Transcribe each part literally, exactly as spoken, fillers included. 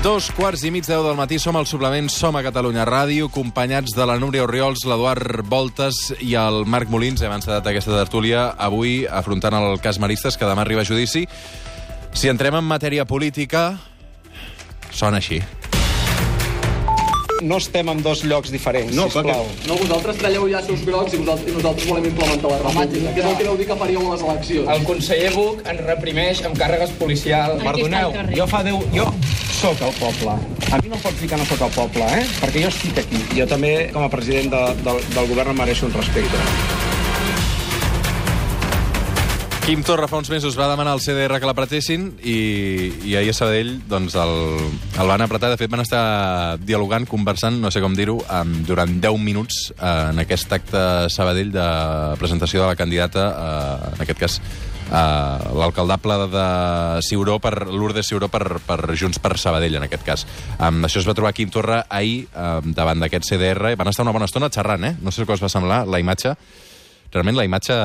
Dos quarts i mig deu del matí, som al suplement Som a Catalunya Ràdio, acompanyats de la Núria Orriols, l'Eduard Voltes i el Marc Molins. Hem encetat aquesta tertúlia avui afrontant el cas Maristes, que demà arriba a judici. Si entrem en matèria política, sona així. No estem en dos llocs diferents, no, sisplau. No, vosaltres tralleu llaços grocs i nosaltres, i nosaltres volem implementar la república. Què és el que vau dir que faríeu a les eleccions? El conseller Buch ens reprimeix amb càrregues policials. Perdoneu, jo fa deu... Jo sóc el poble. A mi no em pots dir que no sóc el poble, eh? Perquè jo estic aquí. Jo també, com a president de, de, del govern, em mereixo un respecte. Quim Torra fa uns mesos va demanar al C D R que l'apretessin i, i ahir a Sabadell doncs el, el van apretar. De fet, van estar dialogant, conversant, no sé com dir-ho, durant deu minuts en aquest acte a Sabadell de presentació de la candidata, eh, en aquest cas, eh, l'alcaldable de Ciuró, per Lourdes Ciuró, per, per Junts per Sabadell, en aquest cas. Um, això es va trobar Quim Torra ahir um, davant d'aquest C D R. Van estar una bona estona xerrant, eh? No sé què us va semblar, la imatge. Realment, la imatge...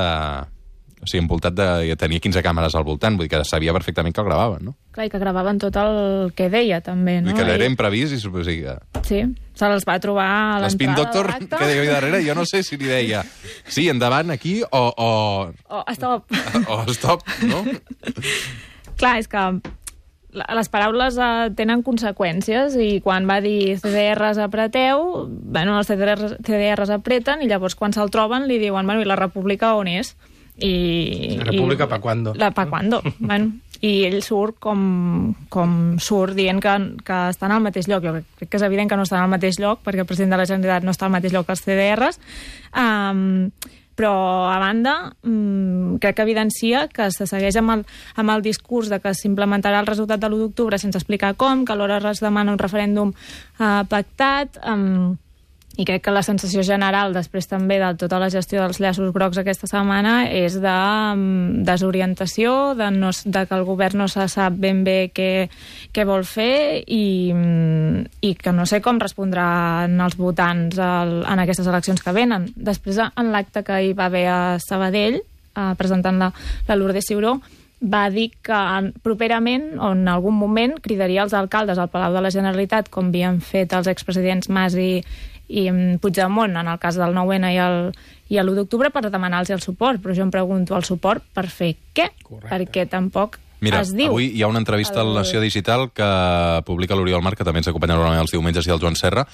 O sigui, envoltat de... tenia quinze càmeres al voltant, vull dir que sabia perfectament que el gravaven, no? Clar, i que gravaven tot el que deia, també, no? I que era I... imprevist i... O sigui, que... Sí, se'ls va trobar a l'entrada L'Spin Doctor, de l'acte. que deia darrere, jo no sé si li deia sí, endavant, aquí, o... O, o stop. O stop, no? Clar, és que les paraules uh, tenen conseqüències i quan va dir C D Rs apreteu, bueno, els C D Rs, C D Rs apreten i llavors quan se'l troben li diuen, bueno, i la república on és? I, la república i, pa cuando? La pa cuando, bueno. I ell surt com, com surt dient que, que estan al mateix lloc. Jo crec que és evident que no estan al mateix lloc perquè el president de la Generalitat no està al mateix lloc que els C D Rs. Um, però, a banda, um, crec que evidencia que se segueix amb el, amb el discurs de que s'implementarà el resultat de l'u d'octubre sense explicar com, que alhora es demana un referèndum uh, pactat... Um, I crec que la sensació general, després també de tota la gestió dels llaços grocs aquesta setmana, és de um, desorientació, de, no, de que el govern no se sap ben bé què, què vol fer i, um, i que no sé com respondran els votants al, en aquestes eleccions que venen. Després, en l'acte que hi va haver a Sabadell, uh, presentant la, la Lourdes Ciuró, va dir que properament o en algun moment cridaria els alcaldes al Palau de la Generalitat, com havien fet els expresidents Mas i, i Puigdemont en el cas del nou ene i el, i l'u d'octubre, per demanar-los el suport. Però jo em pregunto, el suport per fer què? Correcte. Perquè tampoc Mira, es diu. Avui hi ha una entrevista el... a la Nació Digital que publica l'Oriol Marc, que també ens acompanya normalment els diumenges, i el Joan Serra.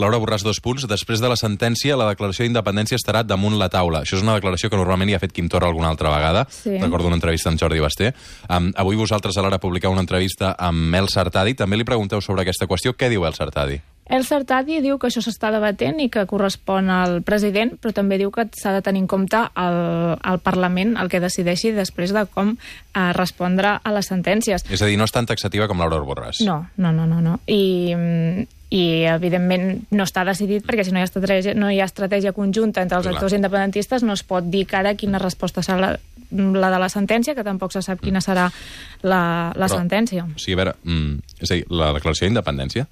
Laura Borràs, dos punts. Després de la sentència, la declaració d'independència estarà damunt la taula. Això és una declaració que normalment hi ha fet Quim Torra alguna altra vegada. Sí. Recordo una entrevista amb Jordi Basté. Um, avui vosaltres a l'Ara publicau una entrevista amb El Sartadi. També li pregunteu sobre aquesta qüestió. Què diu El Sartadi? El Sartadi diu que això s'està debatent i que correspon al president, però també diu que s'ha de tenir en compte el, el Parlament, el que decideixi després de com eh, respondre a les sentències. És a dir, no és tan taxativa com Laura Borràs. No, no, no, no. no. I, i evidentment no està decidit perquè si no hi ha estratègia, no hi ha estratègia conjunta entre els Clar. actors independentistes no es pot dir que ara quina resposta serà la, la de la sentència, que tampoc se sap quina serà la, la però, sentència. O sigui, a veure, mm, és a dir, la declaració d'independència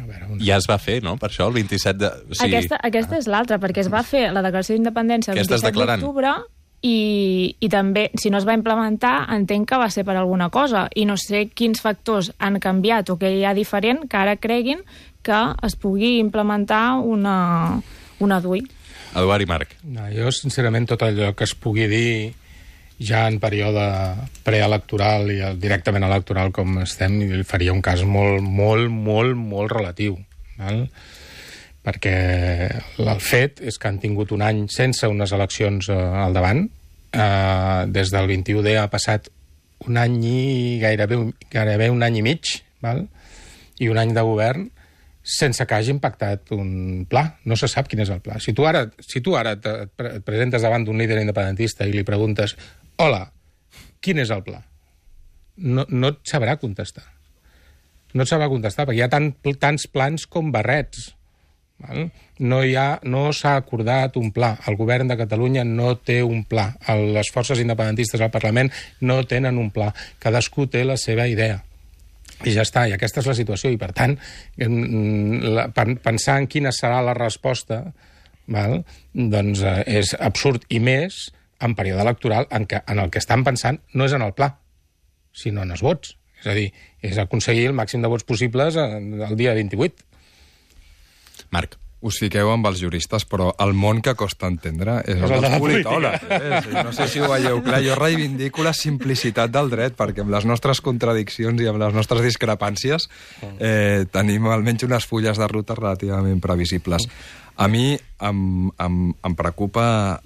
A veure, una... ja es va fer, no? Per això, el vint-i-set de... O sigui... Aquesta, aquesta és l'altra, perquè es va fer la declaració d'independència el vint-i-set d'octubre i, i també, si no es va implementar, entenc que va ser per alguna cosa. I no sé quins factors han canviat o què hi ha diferent que ara creguin que es pugui implementar una, una D U I. Eduard i Marc. No, jo, sincerament, tot allò que es pugui dir ja en període preelectoral i directament electoral com estem, faria un cas molt, molt, molt, molt relatiu. Val? Perquè el fet és que han tingut un any sense unes eleccions eh, al davant. Eh, des del vint-i-u de ha passat un any i gairebé, gairebé un any i mig, val? I un any de govern sense que hagi impactat un pla. No se sap quin és el pla. Si tu ara, si tu ara et, et presentes davant d'un líder independentista i li preguntes hola, quin és el pla? No, no et sabrà contestar. No et sabrà contestar, perquè hi ha tant, tants plans com barrets. Val? No hi ha, no s'ha acordat un pla. El govern de Catalunya no té un pla. Les forces independentistes al Parlament no tenen un pla. Cadascú té la seva idea. I ja està, i aquesta és la situació. I, per tant, pensar en quina serà la resposta, val? Doncs és absurd. I més en període electoral en, què, en el que estan pensant no és en el pla, sinó en els vots. És a dir, és aconseguir el màxim de vots possibles el dia vint-i-vuit. Marc. Us fiqueu amb els juristes, però el món que costa entendre és el dels politòlegs. Eh? No sé si ho veieu clar. Jo reivindico la simplicitat del dret, perquè amb les nostres contradiccions i amb les nostres discrepàncies eh, tenim almenys unes fulles de ruta relativament previsibles. A mi em, em, em preocupa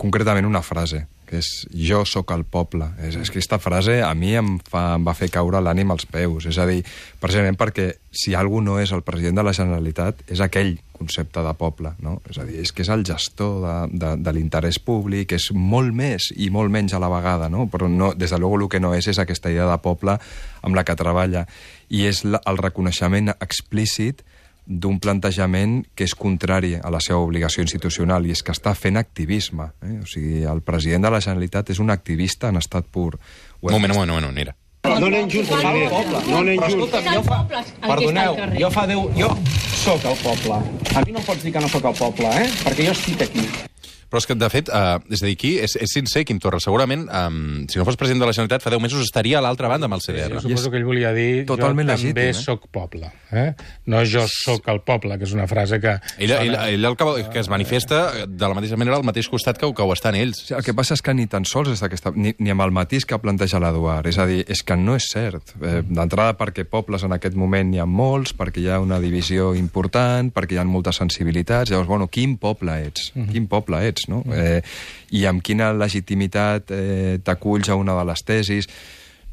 concretament una frase, que és jo sóc el poble. És, és que aquesta frase a mi em, fa, em va fer caure l'ànim als peus. És a dir, precisament perquè si algú no és el president de la Generalitat, és aquell concepte de poble, no? És a dir, és que és el gestor de, de, de l'interès públic, és molt més i molt menys a la vegada, no? Però no, des de luego el que no és és aquesta idea de poble amb la que treballa. I és la, el reconeixement explícit d'un plantejament que és contrari a la seva obligació institucional, i és que està fent activisme. Eh? O sigui, el president de la Generalitat és un activista en estat pur. Un moment, un moment, un moment, mira. No anem junts, el poble. No anem Però junts. escolta'm, jo fa... Perdoneu, jo fa deu... Jo sóc el poble. A mi no em pots dir que no sóc el poble, eh? Perquè jo estic aquí. Però és que, de fet, uh, és a dir, aquí és, és sincer, Quim Torra. Segurament, um, si no fos president de la Generalitat, fa deu mesos estaria a l'altra banda amb el C D R. Jo suposo que ell volia dir totalment jo legítim, també eh? sóc poble. Eh? No jo sóc el poble, que és una frase que... Ell, ell, ell el que, que es manifesta de la mateixa manera al mateix costat que, que ho estan ells. Sí, el que passa és que ni tan sols és aquesta, ni, ni amb el matís que planteja l'Eduard. És a dir, és que no és cert. Eh, D'entrada perquè pobles en aquest moment n'hi ha molts, perquè hi ha una divisió important, perquè hi ha moltes sensibilitats. Llavors, bueno, quin poble ets? Uh -huh. Quin poble ets, no? Eh, I amb quina legitimitat eh, t'aculls a una de les tesis.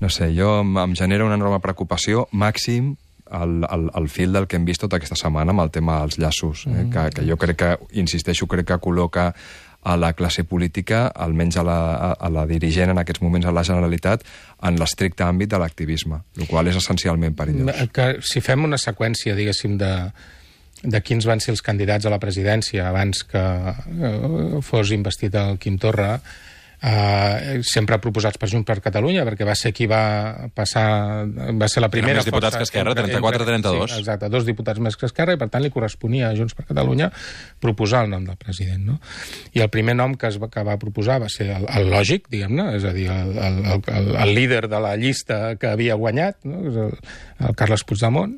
No sé, jo em, em genera una enorme preocupació, màxim el, el, el fil del que hem vist tota aquesta setmana amb el tema dels llaços, eh, mm. que, que jo crec que, insisteixo, crec que col·loca a la classe política, almenys a la, a, a la dirigent en aquests moments a la Generalitat, en l'estricte àmbit de l'activisme, el qual és essencialment perillós. Que, si fem una seqüència, diguéssim, de... de quins van ser els candidats a la presidència abans que eh, fos investit el Quim Torra, eh, sempre proposats per Junts per Catalunya, perquè va ser qui va passar... Va ser la primera... Eren més diputats que Esquerra, trenta-quatre a trenta-dos. Sí, exacte, dos diputats més que Esquerra, i per tant li corresponia a Junts per Catalunya proposar el nom del president, no? I el primer nom que, es va, que va proposar va ser el, el lògic, diguem-ne, és a dir, el, el, el, el líder de la llista que havia guanyat, no? És el, el Carles Puigdemont.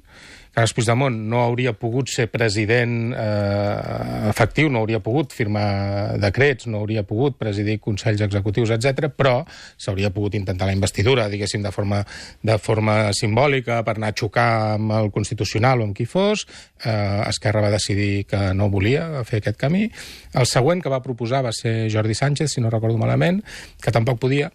Carles Puigdemont no hauria pogut ser president eh, efectiu, no hauria pogut firmar decrets, no hauria pogut presidir consells executius, etcètera, però s'hauria pogut intentar la investidura, diguéssim, de forma, de forma simbòlica, per anar a xocar amb el Constitucional o amb qui fos. Eh, Esquerra va decidir que no volia fer aquest camí. El següent que va proposar va ser Jordi Sánchez, si no recordo malament, que tampoc podia,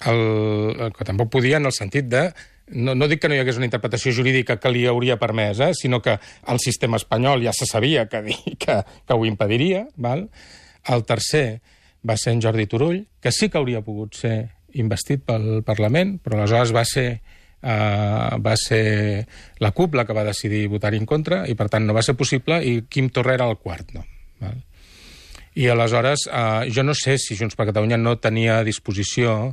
el, que tampoc podia en el sentit de... No, no dic que no hi hagués una interpretació jurídica que li hauria permès, eh, sinó que el sistema espanyol ja se sabia que, que, que ho impediria. Val? El tercer va ser en Jordi Turull, que sí que hauria pogut ser investit pel Parlament, però aleshores va ser, eh, va ser la CUP la que va decidir votar-hi en contra, i per tant no va ser possible, i Quim Torra era el quart nom. Val? I aleshores, eh, jo no sé si Junts per Catalunya no tenia a disposició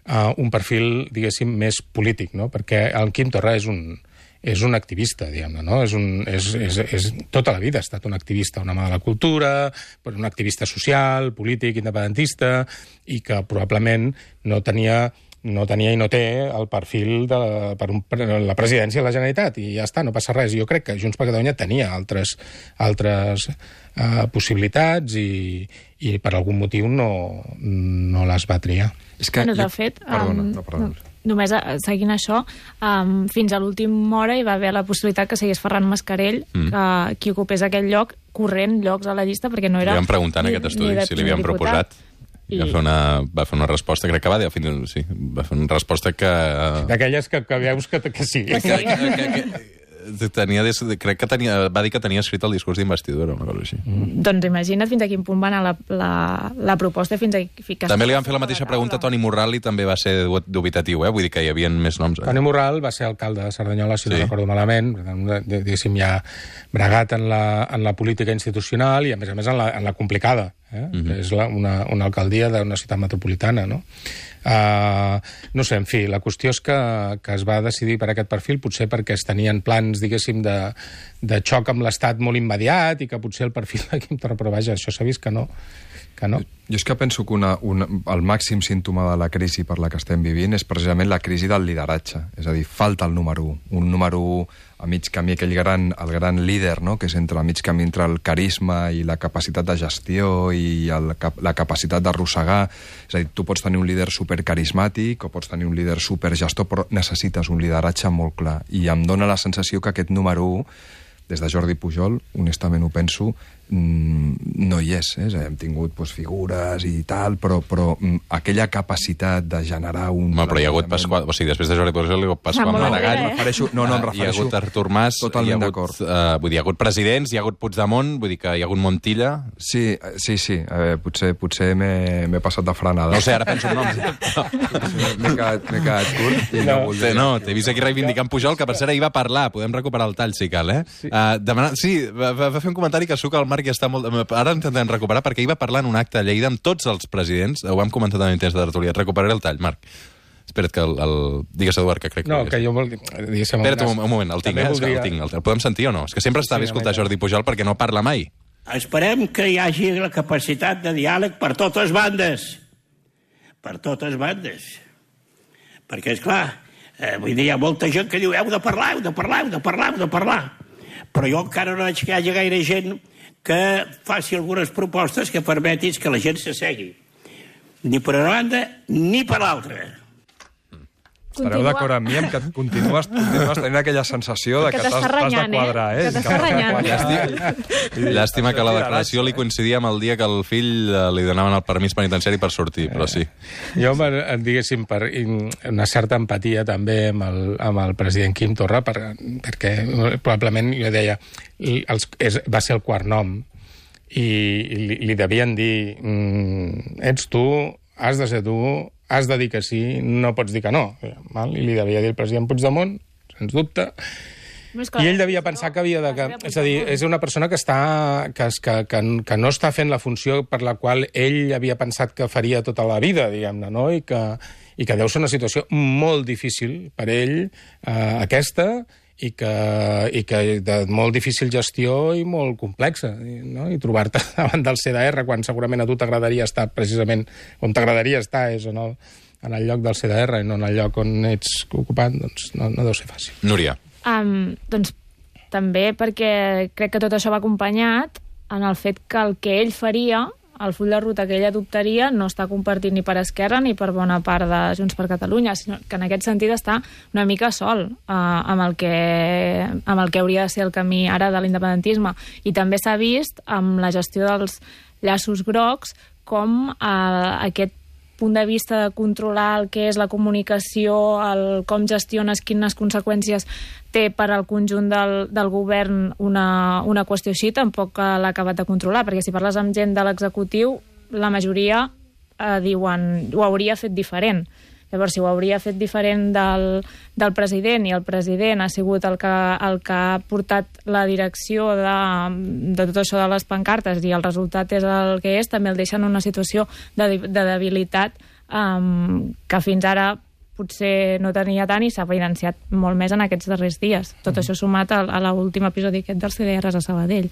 Uh, un perfil, diguéssim, més polític, no? Perquè el Quim Torra és un, és un activista, diguem-ne, no? És un, és, és, és, tota la vida ha estat un activista, un home de la cultura, un activista social, polític, independentista, i que probablement no tenia... no tenia i no té el perfil de, per, un, per la presidència de la Generalitat, i ja està, no passa res. Jo crec que Junts per Catalunya tenia altres, altres uh, possibilitats i, i per algun motiu no, no les va triar. És que bueno, de jo... fet, Perdona, um, no, perdona. Només seguint això, um, fins a l'última hora hi va haver la possibilitat que seguís Ferran Mascarell, mm. que qui ocupés aquell lloc, corrent llocs a la llista, perquè no era... Li vam preguntar en aquest estudi si li havien proposat. I... Va, fer una, va fer una resposta, crec que va dir, fins, sí, va fer una resposta que... D'aquelles que, que veus que, que sí. Que, que, que, que tenia, crec que tenia, va dir que tenia escrit el discurs d'investidura, una cosa així. Mm. Doncs imagina't fins a quin punt va anar la, la, la proposta, fins a ficar... També li van fer la mateixa pregunta a Toni Morral i també va ser dubitatiu, eh? Vull dir que hi havia més noms. Eh? Toni Morral va ser alcalde de Cerdanyola, si sí. no recordo malament, diguéssim, ja bregat en la, en la política institucional i, a més a més, en la, en la complicada. Eh? Mm-hmm. És la, una, una alcaldia d'una ciutat metropolitana, no? Uh, no sé, en fi, la qüestió és que, que es va decidir per aquest perfil, potser perquè es tenien plans, diguéssim, de, de xoc amb l'Estat molt immediat i que potser el perfil de Quim Torra, però vaja, això s'ha vist que no, que no. Jo és que penso que una, una, el màxim símptoma de la crisi per la que estem vivint és precisament la crisi del lideratge. És a dir, falta el número un. Un número un a mig camí, aquell gran, el gran líder, no?, que és entre el mig camí entre el carisma i la capacitat de gestió i el, la capacitat d'arrossegar. És a dir, tu pots tenir un líder supercarismàtic o pots tenir un líder supergestor, però necessites un lideratge molt clar. I em dóna la sensació que aquest número un, des de Jordi Pujol, honestament ho penso, no hi és. Eh? Hem tingut pues, figures i tal, però, però aquella capacitat de generar un... Home, però hi ha hagut Pasqual... O sigui, després de Jordi Pujol hi ha hagut Pasqual Ah, molt Maragall. bé, eh? Refereixo, no, no, em refereixo... Hi ha hagut Artur Mas, Totalment hi ha d'acord. hagut, uh, vull dir, hi ha hagut presidents, hi ha hagut Puigdemont, vull dir que hi ha hagut Montilla... Sí, sí, sí. A veure, potser potser m'he passat de frenada. No sé, ara penso en noms. M'he quedat, quedat curt i no, no volia... No, t'he vist aquí reivindicant Pujol, que per cert ahir va parlar. Podem recuperar el tall, si cal, eh? Sí, uh, demanar... sí va, va fer un comentari que suca el Marc i està molt... Ara intentem recuperar, perquè ell va parlar en un acte a Lleida amb tots els presidents. Ho vam comentar també en temps de tertúlia. Et recuperaré el tall, Marc. Espera't que el... el... Digues, Eduard, que crec que... No, que jo vol dir... Espera't un, un moment, el tinc, eh? Voldria... El tinc. El podem sentir o no? És que sempre està bé escoltar Jordi Pujol perquè no parla mai. Esperem que hi hagi la capacitat de diàleg per totes bandes. Per totes bandes. Perquè, esclar, eh, vull dir, hi ha molta gent que diu heu de parlar, heu de parlar, heu de parlar, heu de parlar. Però jo encara no veig que hi hagi gaire gent que faci algunes propostes que permetin que la gent s'assegui. Ni per una banda ni per l'altra. Estareu d'acord amb mi amb que continues, continues tenint aquella sensació de que, que t'està renyant, de quadrar, eh? Que t'està renyant. Llàstima, llàstima que la declaració li coincidia amb el dia que el fill li donaven el permís penitenciari per sortir, però sí. Jo, diguéssim, per una certa empatia també amb el, amb el president Quim Torra, per, perquè probablement, jo deia, els, és, va ser el quart nom, i li, li devien dir mm, ets tu, has de ser tu, has de dir que sí, no pots dir que no. Val? I li devia dir el president Puigdemont, sens dubte, i ell devia pensar que havia de... Que, és a dir, és una persona que, està, que, que, que, que no està fent la funció per la qual ell havia pensat que faria tota la vida, diguem-ne, no? I que, i que deu ser una situació molt difícil per ell, eh, aquesta, i que, i que de molt difícil gestió i molt complexa, no? I trobar-te davant del C D R quan segurament a tu t'agradaria estar precisament on t'agradaria estar és en el, en el lloc del C D R i no en el lloc on ets ocupat, doncs no, no deu ser fàcil. Núria. Um, doncs també perquè crec que tot això va acompanyat en el fet que el que ell faria, el full de ruta que ell adoptaria, no està compartit ni per Esquerra ni per bona part de Junts per Catalunya, sinó que en aquest sentit està una mica sol eh, amb, el que, amb el que hauria de ser el camí ara de l'independentisme. I també s'ha vist amb la gestió dels llaços grocs com eh, aquest punt de vista de controlar el que és la comunicació, el com gestiones, quines conseqüències té per al conjunt del, del govern una, una qüestió així, tampoc l'ha acabat de controlar, perquè si parles amb gent de l'executiu, la majoria eh, diuen ho hauria fet diferent. Llavors, si ho hauria fet diferent del, del president i el president ha sigut el que, el que ha portat la direcció de, de tot això de les pancartes i el resultat és el que és, també el deixa en una situació de, de debilitat um, que fins ara potser no tenia tant i s'ha evidenciat molt més en aquests darrers dies. Tot això sumat a, a l'últim episodi aquest dels C D Rs a Sabadell.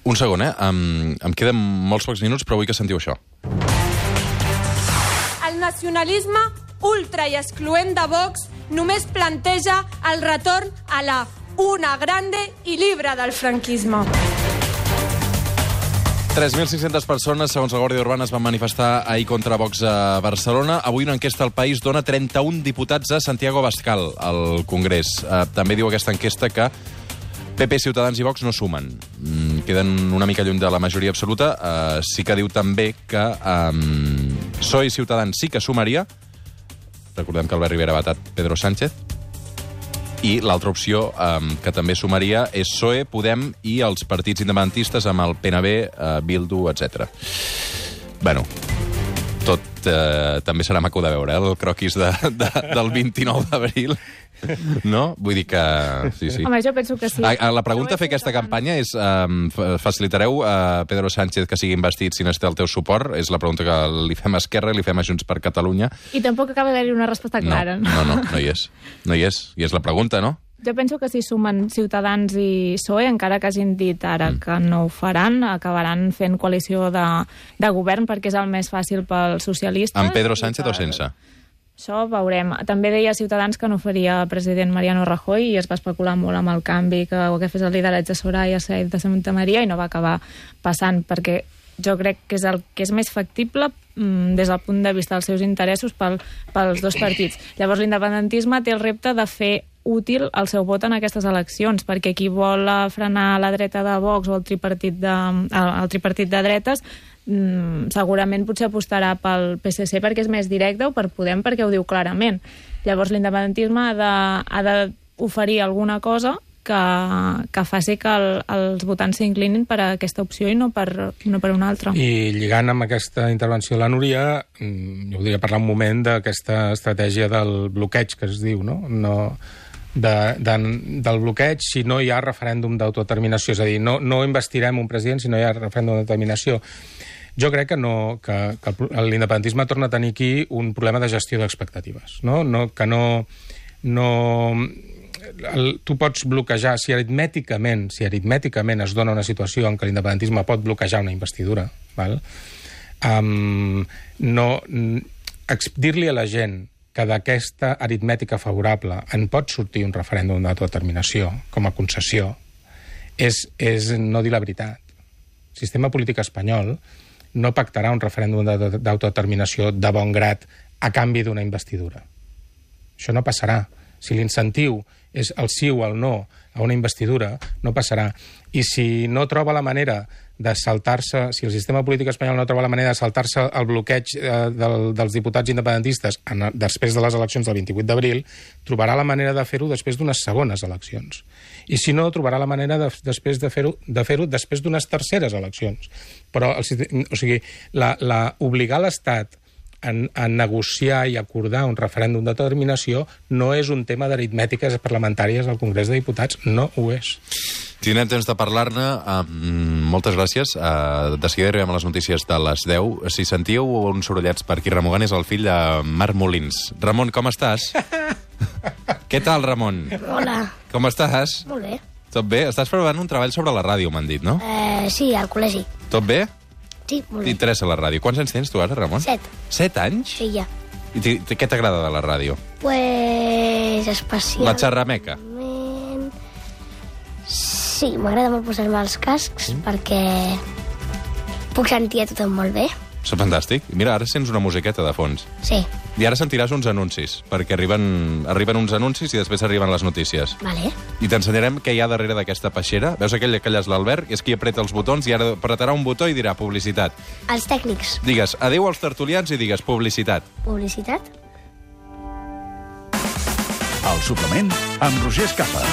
Un segon, eh? Em, em queden molts pocs minuts, però vull que sentiu això. El nacionalisme ultra i excloent de Vox només planteja el retorn a la una grande i llibre del franquisme. tres mil cinc-centes persones, segons la Guàrdia Urbana, es van manifestar ahir contra Vox a Barcelona. Avui una enquesta al País dona trenta-un diputats a Santiago Abascal, al Congrés. Eh, també diu aquesta enquesta que P P, Ciutadans i Vox no sumen. Mm, queden una mica lluny de la majoria absoluta. Eh, sí que diu també que eh, P S O E i Ciutadans sí que sumaria. Recordem que Albert Rivera ha vetat Pedro Sánchez. I l'altra opció eh, que també sumaria és P S O E, Podem i els partits independentistes amb el P N B, eh, Bildu, etcètera. Bueno, tot eh, també serà maco de veure, eh, el croquis de, de, del vint-i-nou d'abril. No? Vull dir que... Sí, sí. Home, jo penso que sí. A, a la pregunta a fer aquesta campanya és um, facilitareu a Pedro Sánchez que sigui investit si necessita el teu suport? És la pregunta que li fem a Esquerra i li fem a Junts per Catalunya. I tampoc acaba d'haver-hi una resposta clara. No, no, no, no hi és. No hi és. I és la pregunta, no? Jo penso que si sumen Ciutadans i P S O E, encara que hagin dit ara mm. que no ho faran, acabaran fent coalició de, de govern perquè és el més fàcil pels socialistes. Amb Pedro Sánchez o sense? Això veurem. També deia Ciutadans que no faria president Mariano Rajoy i es va especular molt amb el canvi que ho que fes el lideratge Soraya Sáenz de Santa Maria i no va acabar passant, perquè jo crec que és el que és més factible mm, des del punt de vista dels seus interessos pel, pels dos partits. Llavors l'independentisme té el repte de fer útil el seu vot en aquestes eleccions, perquè qui vol frenar la dreta de Vox o el tripartit de, el tripartit de dretes mm, segurament potser apostarà pel P S C perquè és més directe o per Podem perquè ho diu clarament. Llavors l'independentisme ha de, ha d'oferir alguna cosa que, que faci que el, els votants s'inclinin per a aquesta opció i no per, no per una altra. I lligant amb aquesta intervenció de la Núria, jo voldria parlar un moment d'aquesta estratègia del bloqueig que es diu, no? no de, de, del bloqueig si no hi ha referèndum d'autodeterminació, és a dir, no, no investirem un president si no hi ha referèndum d'autodeterminació. Jo crec que, no, que, que l'independentisme torna a tenir aquí un problema de gestió d'expectatives, no? No, que no... no el, tu pots bloquejar, si aritmèticament, si aritmèticament es dona una situació en què l'independentisme pot bloquejar una investidura, val? Um, no, dir-li a la gent que d'aquesta aritmètica favorable en pot sortir un referèndum d'autodeterminació com a concessió és, és no dir la veritat. El sistema polític espanyol no pactarà un referèndum d'autodeterminació de bon grat a canvi d'una investidura. Això no passarà. Si l'incentiu és el sí o el no a una investidura, no passarà. I si no troba la manera de saltar-se, si el sistema polític espanyol no troba la manera de saltar-se el bloqueig eh, del, dels diputats independentistes en, després de les eleccions del vint-i-vuit d'abril, trobarà la manera de fer-ho després d'unes segones eleccions. I si no, trobarà la manera de, després de fer-ho de fer-ho després d'unes terceres eleccions. Però, el, o sigui, la, la, obligar l'Estat En, a negociar i acordar un referèndum d'autodeterminació no és un tema d'aritmètiques parlamentàries al Congrés de Diputats, no ho és. Tindrem temps de parlar-ne. Uh, moltes gràcies. Uh, de seguida arribem a les notícies de les deu. Si sentíeu uns sorollets per aquí, Ramon és el fill de Marc Molins. Ramon, com estàs? Què tal, Ramon? Hola. Com estàs? Molt bé. Tot bé? Estàs preparant un treball sobre la ràdio, m'han dit, no? Eh, sí, al col·legi. Tot bé? Sí, molt bé. T'interessa la ràdio. Quants anys tens tu ara, Ramon? Set. Set anys? Sí, ja. I què t'agrada de la ràdio? Pues especial... La xerrameca? Sí, m'agrada molt posar-me els cascs mm. perquè puc sentir a tothom molt bé. És fantàstic. Mira, ara sents una musiqueta de fons. Sí. I ara sentiràs uns anuncis, perquè arriben, arriben uns anuncis i després arriben les notícies. Vale. I t'ensenyarem què hi ha darrere d'aquesta peixera. Veus aquell que allà és l'Albert? És qui apreta els botons i ara apretarà un botó i dirà publicitat. Els tècnics. Digues adéu als tertulians i digues publicitat. Publicitat. El suplement amb Roger Escapa.